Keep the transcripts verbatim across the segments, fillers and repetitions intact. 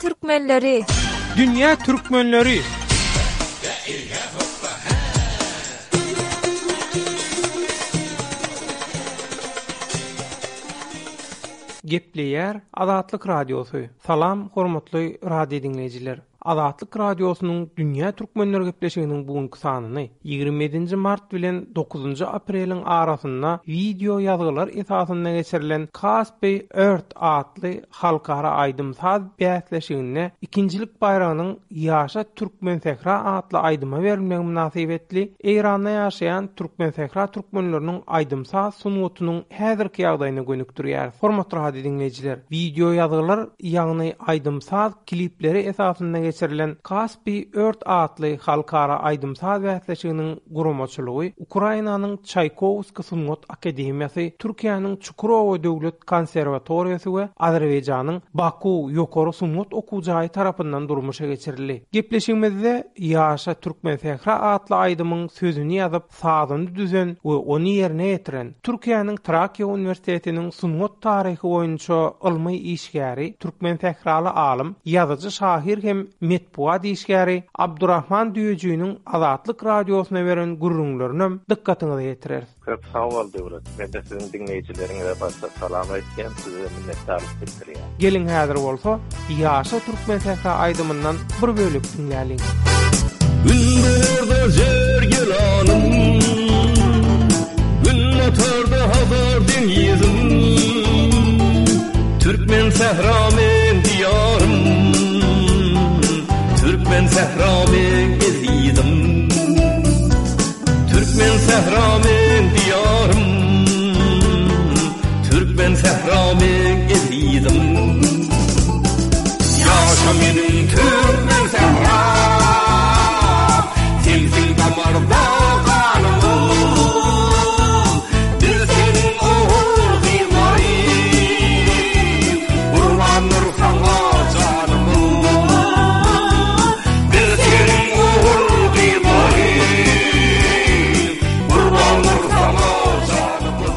türkmenleri. Dünýä türkmenleri. Gepleýär Azatlyk Radiosy. Salam hormatly radio diňleýjiler. Azatlyk Radiosynyň Dünýä Türkmenleri gepleşiginiň bugünkü sanyny ýigrimi ýedinji mart bilen dokuzynjy apreliň arasynda video ýazgylar esasynda geçirilen Kaspi Earth atly halkara aýdym-saz bäsleşiginde ikincilik baýragynyň Ýaşa Türkmen Sähra atly aýdyma berilmegi mynasybetli Eýranda ýaşaýan Türkmen Sähra türkmenleriniň aýdym-saz sungatynyň häzirki ýagdaýyny gönükdirýär. Hormatly radio diňleýjiler, video ýazgylar, ýagny aýdym-saz klipleri esasynda geçirilen Kaspi Earth atly halkara aýdym-saz bäsleşiginiň guramaçylygy Ukrainanyň Çaýkowski Sungat Akademiýasy, Türkiýäniň Çukurowa Döwlet Konserwatoriýasy we Azerbaýjanyň Baku Ýokary Sungat Okuw Jaýy tarapyndan durmuşa geçirildi. Gepleşigimizde Ýaşa Türkmen Sähra atly aýdymyň sözüni ýazyp, sazyny düzen we ony ýerine ýetiren Türkiýäniň Trakya Uniwersitetiniň sungat taryhy boýunça ylmy işgäri, Türkmen Sähraly alym, ýazyjy şahyr hem metbugat işgäri Abdurrahman Düýejiniň Azatlyk Radiosyna beren gürrüňlerini dykgatyňyza ýetireris. Köp sag bol döwlet. Men de siziň diňleýjileriňize başda salam aýtýan, size minnetdarlyk bildirýän. Gelin häzir bolsa Ýaşa Türkmen Sähra aýdymyndan bir bölek diňläliň. Gündogarda zer gelanym, Günbatarda Hazar deňizim, Türkmen sähra men diýarym, Türkmen sähra men ezizim, Türkmen sähra men diýarym, Türkmen sähra men ezizim. Ýaşa meniň Türkmen sähra, sensiň damarda ganym, Biz seniň ogul gyzlary, Gurbandyr saňa janym. Biz seniň ogul gyzlary, Gurbandyr saňa janym.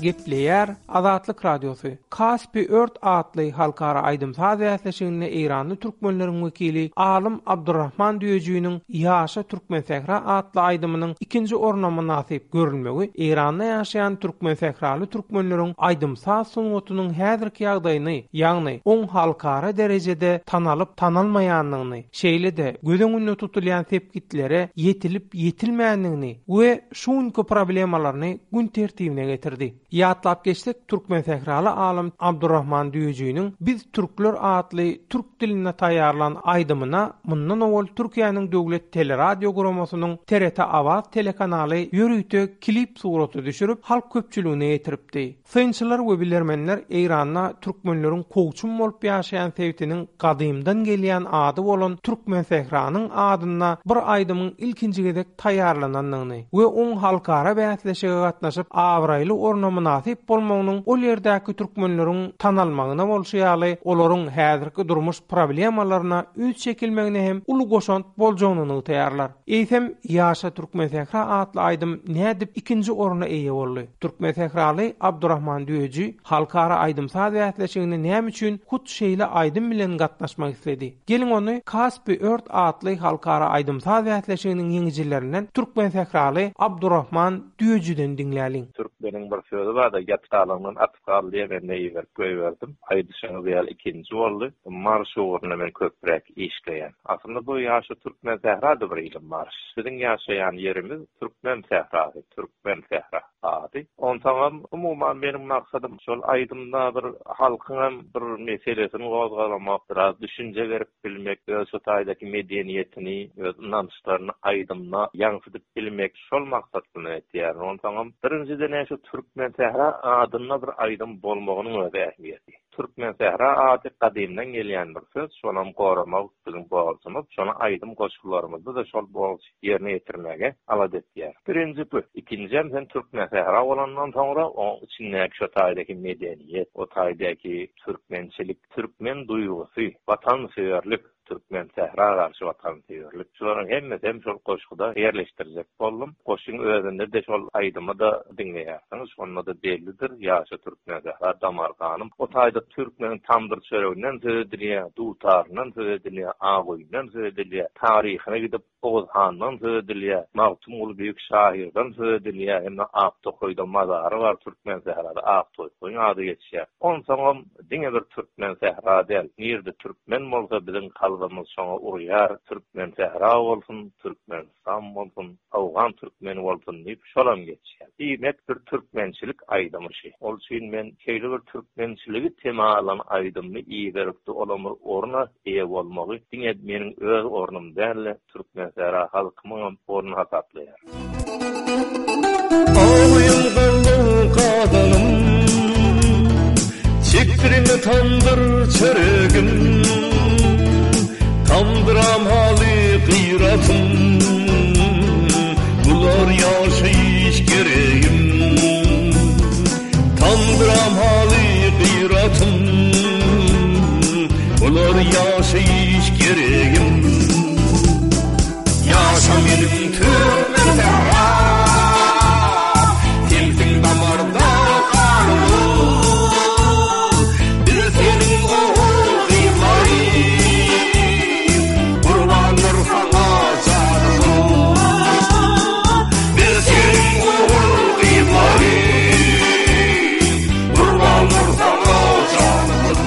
Gepleýär Azatlyk Radiosy. Kaspi Earth atly halkara aýdym-saz bäsleşiginde Eýranly türkmenleriň wekili alym Abdurrahman Düýejiniň Ýaşa Türkmen Sähra atly aýdymynyň ikinji orna mynasyp görülmegi Eýranda ýaşaýan Türkmen Sähraly türkmenleriň aýdym-saz sungatynyň häzirki ýagdaýyny, ýagny oň halkara derejede tanalyp tanalmaýanlygyny, şeýle-de göz öňünde tutulýan sepgitlere ýetilip ýetilmändigini we şuňky problemalaryny gün tertibine getirdi. Ýatlap geçsek, Türkmen Sähraly alym Abdurrahman Düýejiniň Biz Türkler atly türk dilinde taýýarlan aýdymyna mundan owal Türkiýäniň Döwlet Teleradio guramasynyň T R T Awaz telekanaly ýörite klip suraty düşürip halk köpçüligine ýetiripdi. Synçylar we bilermenler Eýranda türkmenleriň kowçum bolup ýaşaýan sebitiniň gadymdan gelýän ady bolan Türkmen Sähranyň adynda bir aýdymyň ilkinji gezek taýýarlanandygyny we oň halkara bäsleşige gatnaşyp abraýly orna mynasyp bolmagynyň ol ýerdäki türkmenleriň tanalmagyna bolşy ýaly olaryň häzirki durmuş problemalaryna üns çekilmegine hem uly goşant boljagyny nygtaýarlar. Eýsem Ýaşa Türkmen Sähra atly aýdym nädip ikinji orna eýe boldy? Türkmen Sähraly Abdurrahman Düýeji halkara aýdym-saz bäsleşigine näme üçin hut şeýle aýdym bilen gatnaşmak isledi? Gelin ony Kaspi Earth atly halkara aýdym-saz bäsleşiginiň ýeňijilerinden Türkmen Sähraly Abdurrahman Düýejiden diňläliň. Türkmeniň bir sözi bar-da, ýatgalygynyň atyp galdy diýip, men neýi goýberdim. Aýdyşyňyz ýaly ikinji boldy. Marş ugrunda men köpräk işleýän. Aslynda bu ýaşa Türkmen Sährada bir ilim marş. Biziň ýaşaýan ýerimiz Türkmen Sährasy, Türkmen Sähra ady. Onsoňam umuman meniň maksadym şol aýdymda bir halkyň hem bir meselesini gozgalamak, biraz düşünje berip bilmek, öz şu taýdaky medeniýetini, öz ynançlaryny aýdymda ýaňsydyp bilmek şol maksat bilen etýär. Onsoňam birinjiden şu Türkmen Sähra adynda bir aýdym bolmagynyň özi ähmiýeti. Türkmen Sähra ady gadymdan gelýän bir söz, şonam goramak biziň borjumyz. Şony aýdym goşgularymyzda da şol borç ýerine ýetirmäge alad etýär. Birinji bu. Ikinji hem Türkmen Sähra bolandan soňra oň içindäki şu taýdaky medeniýet, o taýdaky türkmençilik, türkmen duýgusy, watansöýerlik, Türkmen sähra garşy watansöýerlik. Şolaryň hemmesi hem şol goşguda ýerleşdiriljek boldum. Goşgyň özünde de şol aýdymy da diňleýärsiňiz. Şonda da bellidir. Ýaşa Türkmen sähra damar ganym. O taýda türkmeniň tamdyr çöreginden söz edilýär, dutaryndan söz edilýär, agoýundan söz edilýär, taryhyna gidip Oğuz Handan söz edilýär, Magtymguly Büyük şahirden söz edilýär, hem-de Aktokoýda mazary bar Türkmen sährada Aktokoýyň ady geçýär. Onsoňam diňe bir Türkmen sähra däl, nirde türkmen bolsa biziň kalbymyz şoňa urýar. Türkmen sähra bolsun, Türkmenistan bolsun, Awgan türkmeni bolsun diýip şolam geçýär. Diýmek bir türkmençilik aýdymy şi. Ol üçin men şeýle bir türkmençiligi tema alan aýdymyny iberipdi, olamyr orna eýe bolmagy diňe meniň öz ornum däl, Türkmen sähra halkymyň ornuny hasaplaýar. Ağlayım gallım kazanım, Çektirme tandır çöregim, Tandıram haly gıyratım, Bular yaşayış gereğim. Tandıram haly gıyratım, Bular yaşayış gereğim. Yaşa benim Türkmen sähra, Sensiň damarda kanımız, Biz seniň ogul gyzlary, Gurbandyr saňa janymyz. Biz seniň ogul gyzlary, Gurbandyr saňa janymyz.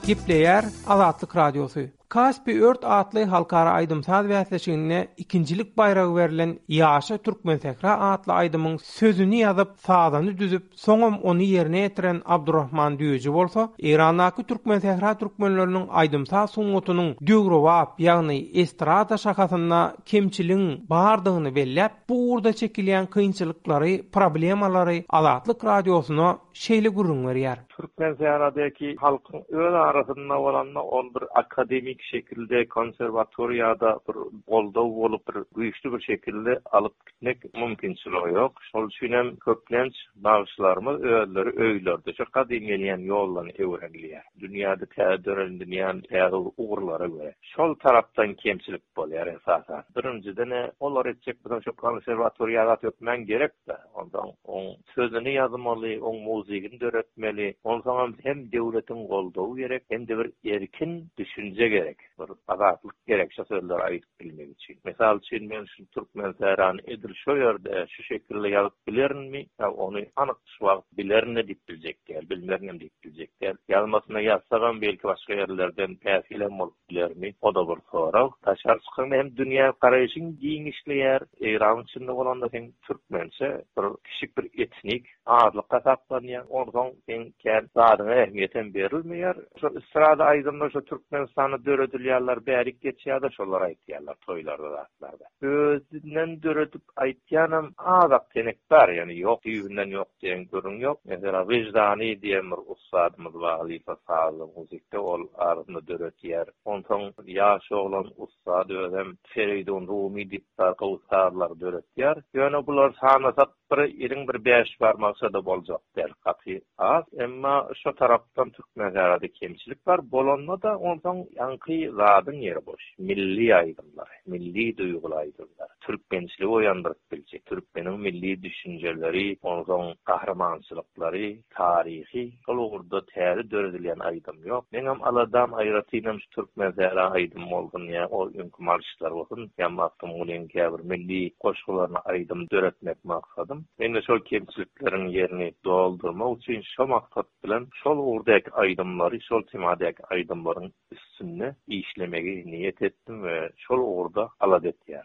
Gepleýär Azatlyk Radiosy. Kaspi Ört atly halkara aýdym-saz bäsleşiginde ikincilik baýragy berlen Ýaşa Türkmen sähra atly aýdymyň sözüni ýazyp, sazyny düzüp, soňam ony ýerine ýetiren Abdurrahman Düýeji bolsa, Eýrandaky Türkmen sähra türkmenleriniň aýdym-saz sungatynyň döwrebap, ýagny estrada şahasynda kemçiligiň bardygyny belläp, bu ugurda çekilýän kynçylyklary, problemalary Azatlyk Radiosyna şeýle gürrüň berýär. Türkmen sähradaki halkyň öz arasynda bolanda ol bir akademik şekilde konserwatoriýada bir goldaw bolup bir güýçli bir şekilde alyp gitmek mümkinçiligi ýok. Şol üçin hem köplenç bagşylarymyz özleri öýlerde şu gadym gelýän ýollaryny öwrenilýär. Dünýäde täze döredilýän täze ugurlara görä. Şol tarapdan kemçilik bolýar esasan. Birinjiden olar etjek bilen şu konserwatoriýada tökmän gerek-de. Ondan oň sözüni ýazmaly, oň muzygyny döretmeli. Onsoňam hem döwletiň goldawy gerek, hem de bir erkin düşünje gerek. Bir azatlyk gerek şu sözleri aýdyp bilmek üçin. Mysal üçin men şu Türkmen sährany edil şu ýerde şu şekilde ýazyp bilerinmi? Ýa ony anyk şu wagt bilerin diýip biljek däl, bilmerin diýip biljek däl. Ýazmasyna ýazsagam belki başga ýerlerden täsirlen bolup bilermi? O da bir sorag. Daşary çykan hem dünýä garaýşyň giňişleýär. Eýran içinde bolanda sen türkmençe bir kiçik bir etnik azlyk hasaplanýar. Onsoň sen kän zadyňa ähmiýet hem berilmeýär. Şu estrada aýdymlar şu Türkmenistanda döredilýärler, bärik geçýär-de şolar aýtýarlar toýlarda zatlarda. Özünden döredip aýtýanam azak tenek bar, ýani ýok, düýbünden ýok diýen gürrüň ýok. Mesela Wyždani diýen bir ussadymyz bar, halypa sazly muzikde ol arasynda döretýär. Onsoň ýaş oglan ussad özem Feridun Rumi diýip gowy sazlar döretýär. Ýöne bular sanasak bir iliň bir bäş barmakça-da boljak däl, gaty az. Emma şu tarapdan Türkmen sährada kemçilik bar. Bolanda da onsoň ýaňky zadyň ýeri boş. Milli aýdymlar, milli duýguly aýdymlar, türkmençiligi oýandyryp biljek, türkmeniň milli düşünjeleri, onsoň gahrymançylyklary, taryhy, şol ugurda täze döredilýän aýdym ýok. Meňem aladam aýratynam şu Türkmen sähra aýdym bolsun ýa o öňki marşlar bolsun, ýa Magtymgulyň käbir milli goşgularyny aýdym döretmek maksadym. Men de şol kemçilikleriň ýerini doldurmak üçin şo maksat bilen şol ugurdaky aýdymlary, şol temadaky aýdymlaryň üstünde işlemegi niýet etdim we şol ugurda alada etýär.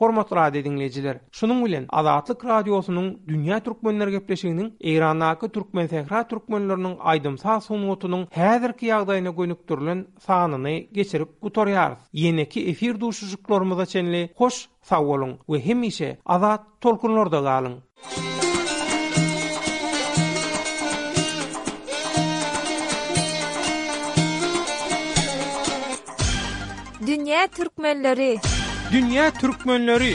Hormatly radio dinleýjiler, şunuň bilen Azatlyk Radiosynyň Dünýä Türkmenler gepleşiginiň Eýrandaky Türkmen sähra türkmenleriniň aýdym-saz sungatynyň häzirki ýagdaýyna gönükdirilen sanyny geçirip gutarýarys. Ýeneki efir duşuşyklarymyza çenli hoş sag boluň we hemişe azat tolkunlarda galyň. Dünýä Türkmenleri. Dünýä Türkmenleri.